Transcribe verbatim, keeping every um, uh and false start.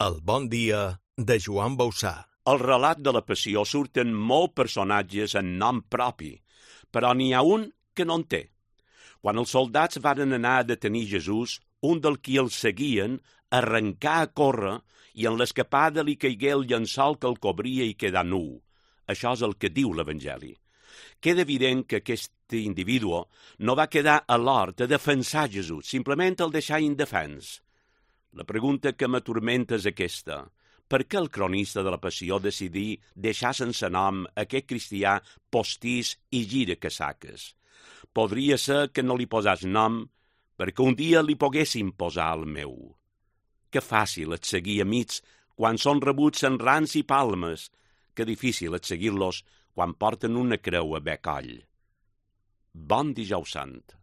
El bon dia de Joan Bausà. Al relat de la Passió surten molts personatges en nom propi, però n'hi ha un que no en té. Quan els soldats varen anar a detenir Jesús, un del qui el seguien arrencà a córrer i en l'escapada li caigué el llençol que el cobria i quedà nu. Això és el que diu l'Evangeli. Queda evident que aquest individu no va quedar a l'hort a defensar Jesús, simplement el deixar indefens. La pregunta que m'atormenta és aquesta. Per què el cronista de la Passió decidí deixar sense nom aquest cristià postís i gira casaques? Podria ser que no li posàs nom perquè un dia li poguessin posar el meu. Que fàcil és seguir amics quan són rebuts en rans i palmes, que difícil és seguir-los quan porten una creu a bec coll. Bon dijous sant.